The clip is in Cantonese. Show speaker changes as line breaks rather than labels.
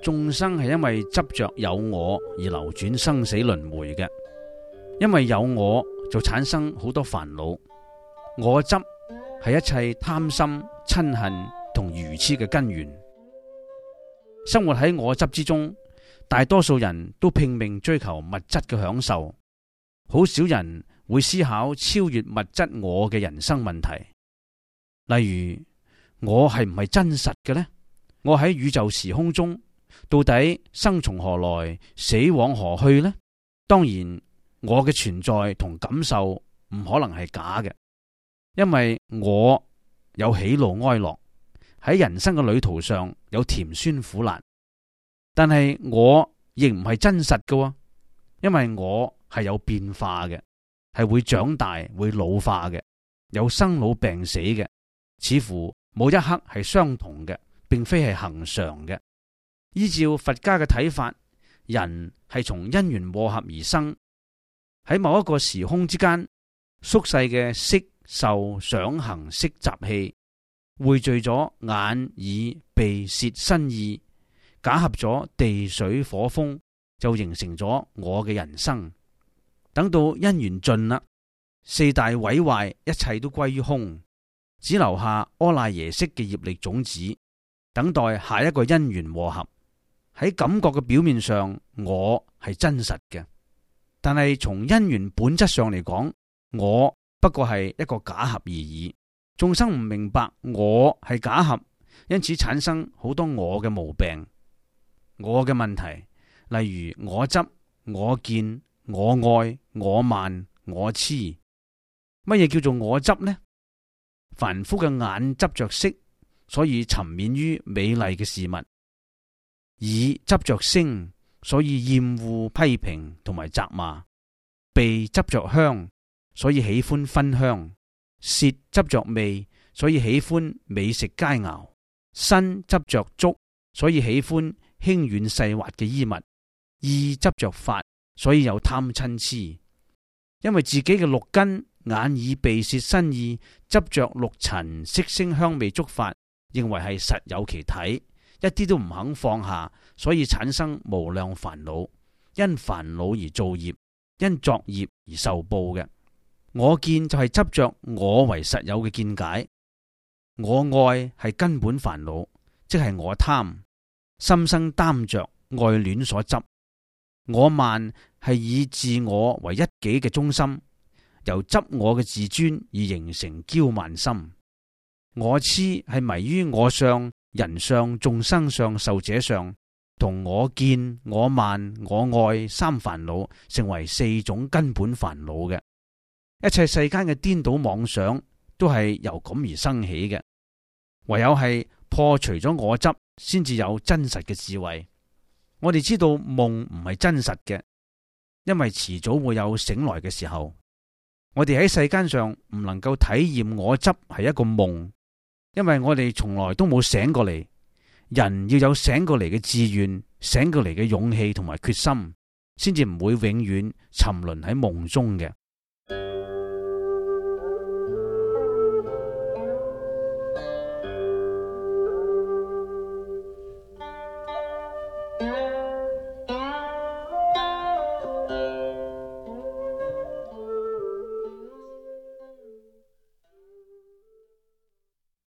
眾生係因為執着有我而流轉生死輪迴嘅，因為有我就產生好多煩惱。我執係一切貪心、嗔恨同愚癡嘅根源。生活喺我執之中，大多數人都拼命追求物質嘅享受，好少人會思考超越物質我嘅人生問題。例如，我係唔係真實嘅呢？我喺宇宙時空中到底生從何來，死往何去呢？當然，我嘅存在同感受唔可能係假嘅，因為我有喜怒哀樂，喺人生嘅旅途上有甜酸苦辣。但係我亦唔係真實嘅，因為我係有變化嘅，係會長大、會老化嘅，有生老病死嘅，似乎冇一刻係相同嘅，並非係恆常嘅。依照佛家嘅睇法，人係從因緣和合而生，喺某一個時空之間，縮細嘅色、受、想、行、識習氣匯聚咗眼、耳、鼻、舌、身、意，假合咗地、水、火、風，就形成咗我嘅人生。等到因緣盡啦，四大毀壞，一切都歸於空，只留下阿賴耶識嘅業力種子，等待下一個因緣和合。喺感覺嘅表面上，我係真實嘅，但係從因緣本質上嚟講，我不過係一個假合而已。眾生唔明白我係假合，因此產生好多我嘅毛病。我嘅問題，例如我執、我見、我愛、我慢、我痴。乜嘢叫做我執呢？凡夫嘅眼執着色，所以沉湎於美麗嘅事物；耳執着聲，所以厭惡批評同埋責罵；鼻執着香，所以喜歡熏香；舌執着味，所以喜歡美食佳肴；身執着觸，所以喜歡輕軟細滑嘅衣物；意執着法，所以有貪嗔癡。因為自己嘅六根眼耳鼻舌身意執着六塵色聲香味觸法，認為係實有其體，一啲都唔肯放下，所以產生無量煩惱。因煩惱而造業，因作業而受報嘅。我見就係執着我為實有嘅見解，我愛係根本煩惱，即係我貪，心生擔着愛戀所執。我慢係以自我為一己嘅中心，由執我嘅自尊而形成驕慢心。我痴係迷於我相、人相、眾生相、壽者相，同我見、我慢、我愛三煩惱成為四種根本煩惱嘅。一切世間嘅顛倒妄想都係由咁而生起嘅，唯有係破除咗我執，先至有真實嘅智慧。我哋知道夢唔係真實嘅，因為遲早會有醒來嘅時候。我哋喺世間上唔能夠體驗我執係一個夢，因為我哋從來都冇醒過嚟。人要有醒過嚟嘅志願、醒過嚟嘅勇氣同埋決心，先至唔會永遠沉淪喺夢中嘅。